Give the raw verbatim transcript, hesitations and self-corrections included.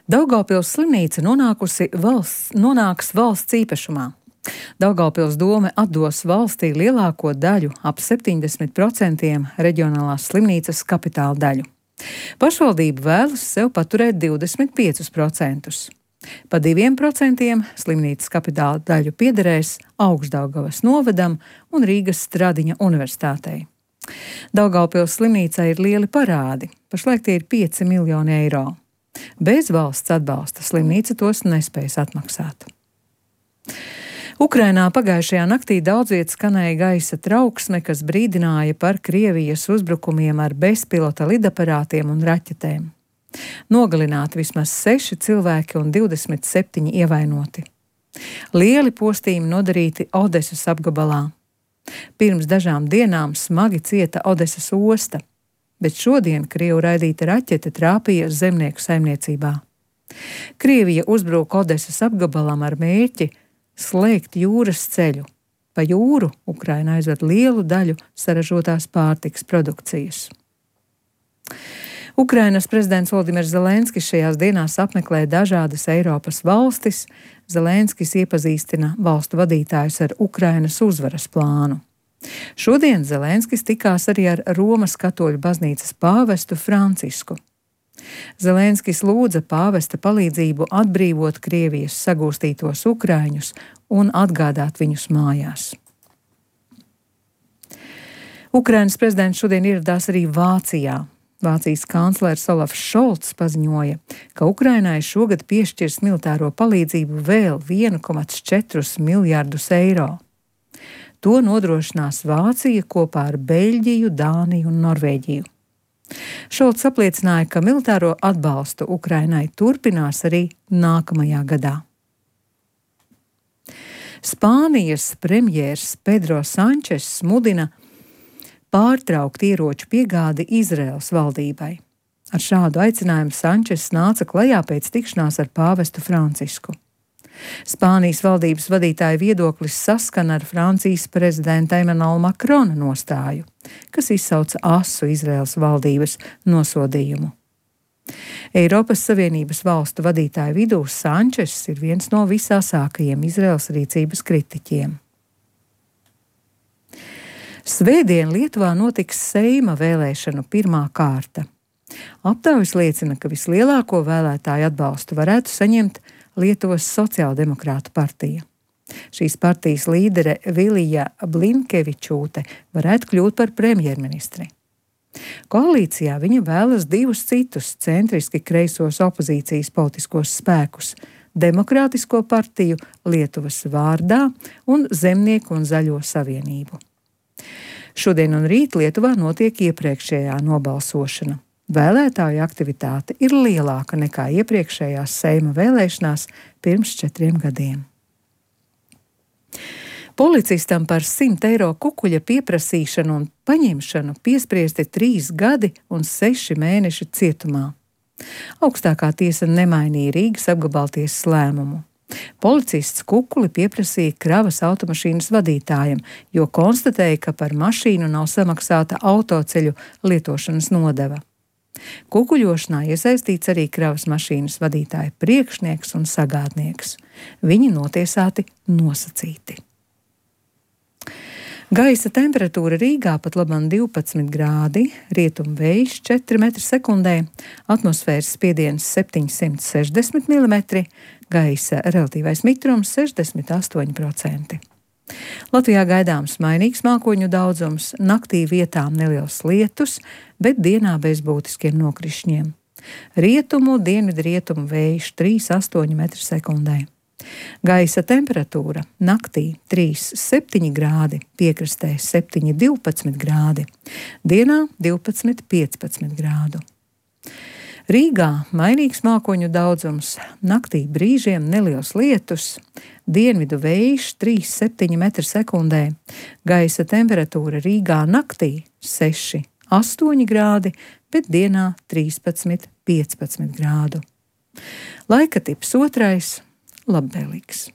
Daugavpils slimnīca nonākusi valsts, nonāks valsts īpašumā. Daugavpils dome atdos valstī lielāko daļu, ap septiņdesmit procentiem reģionālās slimnīcas kapitāla daļu. Pašvaldība vēlas sev paturēt divdesmit piecus procentus. Pa diviem procentiem slimnīcas kapitāla daļu piederēs Augšdaugavas novadam un Rīgas Stradiņa universitātei. Daugavpils slimnīcai ir lieli parādi, pašlaik tie ir pieci miljoni eiro. Bez valsts atbalsta slimnīca tos nespējas atmaksāt. Ukrainā pagājušajā naktī daudz viet skanēja gaisa trauksme, kas brīdināja par Krievijas uzbrukumiem ar bezpilota lidaparātiem un raķetēm. Nogalināti vismaz seši cilvēki un divdesmit septiņi ievainoti. Lieli postījumi nodarīti Odesas apgabalā. Pirms dažām dienām smagi cieta Odesas osta, bet šodien Krievu raidīta raķete trāpīja zemnieku saimniecībā. Krievija uzbruka Odesas apgabalam ar mērķi slēgt jūras ceļu. Pa jūru Ukraina aizved lielu daļu saražotās pārtikas produkcijas. Ukrainas prezidents Volodimirs Zelenskis šajās dienās apmeklē dažādas Eiropas valstis. Zelenskis iepazīstina valstu vadītājus ar Ukrainas uzvaras plānu. Šodien Zelenskis tikās arī ar Romas katoļu baznīcas pāvestu Francisku. Zelenskis lūdza pāvesta palīdzību atbrīvot Krievijas sagūstītos ukraiņus un atgādāt viņus mājās. Ukrainas prezidents šodien ieradās arī Vācijā. Vācijas kanclers Olafs Šolts paziņoja, ka Ukrainai šogad piešķirs militāro palīdzību vēl vienu komā četrus miljardus eiro. To nodrošinās Vācija kopā ar Beļģiju, Dāniju un Norvēģiju. Šolts apliecināja, ka militāro atbalstu Ukrainai turpinās arī nākamajā gadā. Spānijas premjers Pedro Sančes mudina pārtraukt ieroču piegādi Izraēlas valdībai. Ar šādu aicinājumu Sančes nāca klajā pēc tikšanās ar pāvestu Francisku. Spānijas valdības vadītāja viedoklis saskana ar Francijas prezidenta Emmanuela Macrona nostāju, kas izsauca asu Izraēlas valdības nosodījumu. Eiropas Savienības valstu vadītāju vidū Sančes ir viens no visāsākajiem Izraēlas rīcības kritiķiem. Svētdien Lietuvā notiks Seima vēlēšanu pirmā kārta. Aptaujas liecina, ka vislielāko vēlētāju atbalstu varētu saņemt Lietuvas sociāldemokrātu partija. Šīs partijas līdere Vilija Blinkevičūte varētu kļūt par premjerministri. Koalīcijā viņa vēlas divus citus centriski kreisos opozīcijas politiskos spēkus – Demokrātisko partiju Lietuvas vārdā un Zemnieku un Zaļo savienību. Šodien un rīt Lietuvā notiek iepriekšējā nobalsošana. Vēlētāju aktivitāte ir lielāka nekā iepriekšējās Seima vēlēšanās pirms četriem gadiem. Policistam par simt eiro kukuļa pieprasīšanu un paņemšanu piespriesti trīs gadi un seši mēneši cietumā. Augstākā tiesa nemainīja Rīgas apgabaltiesas lēmumu. Policists kukuli pieprasīja kravas automašīnas vadītājam, jo konstatēja, ka par mašīnu nav samaksāta autoceļu lietošanas nodeva. Kukuļošanā iesaistīts arī kravas mašīnas vadītāja priekšnieks un sagādnieks. Viņi notiesāti nosacīti. Gaisa temperatūra Rīgā pat labam divpadsmit grādi, rietumu vējš četri metri sekundē, atmosfēras spiediens septiņsimt sešdesmit milimetri, gaisa relatīvais mitrums sešdesmit astoņi procenti. Latvijā gaidāms mainīgs mākoņu daudzums, naktī vietām neliels lietus, bet dienā bez būtiskiem nokrišņiem. Rietumu, dienvidu rietumu vējš trīs astoņi metri sekundē. Gaisa temperatūra naktī trīs septiņi grādi, piekrastē septiņi divpadsmit grādi, dienā divpadsmit piecpadsmit grādu. Rīgā mainīgs mākoņu daudzums, naktī brīžiem neliels lietus, dienvidu vējš trīs septiņi metri sekundē, gaisa temperatūra Rīgā naktī seši astoņi grādi, bet dienā trīspadsmit piecpadsmit grādu. Laika tips otrais – labvēlīgs.